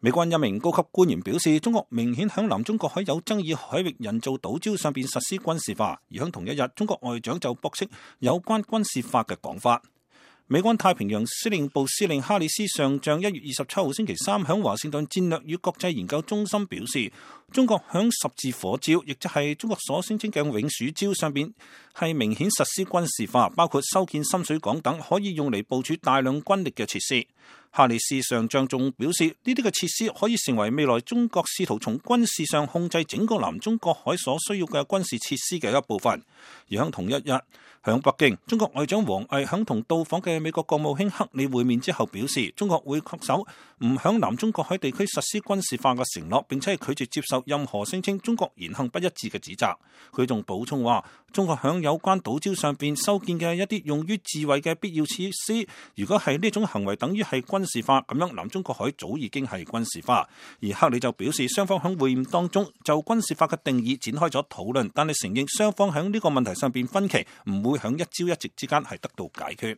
美國一名高級官員表示，中國明顯響南中國海有爭議海域人造島礁上邊實施軍事化，而響同一日，中國外長就駁斥有關軍事化嘅講法。美軍太平洋司令部司令哈里斯上將1月27號星期三響華盛頓戰略與國際研究中心表示，中國響十字火礁，亦即係中國所聲稱嘅永暑礁上邊，係明顯實施軍事化，包括修建深水港等可以用嚟部署大量軍力嘅設施。哈里斯上將仲表示，呢啲嘅設施可以成為未來中國試圖從軍事上控制整個南中國海所需要嘅軍事設施嘅一部分。而響同一日，響北京，中國外長王毅響同到訪嘅美國國務卿克里會面之後表示，中國會恪守唔響南中國海地區實施軍事化嘅承諾，並且係拒絕接受任何聲稱中國言行不一致嘅指責。佢仲補充話，中國響有關島礁上邊修建嘅一啲用於自衛嘅必要設施，如果係呢種行為等於係軍事化，咁樣南中國海早已經係軍事化。而克里就表示，雙方響會面當中就軍事化嘅定義展開咗討論，但係承認雙方響呢個問題上邊分歧唔會響一朝一夕之間係得到解決。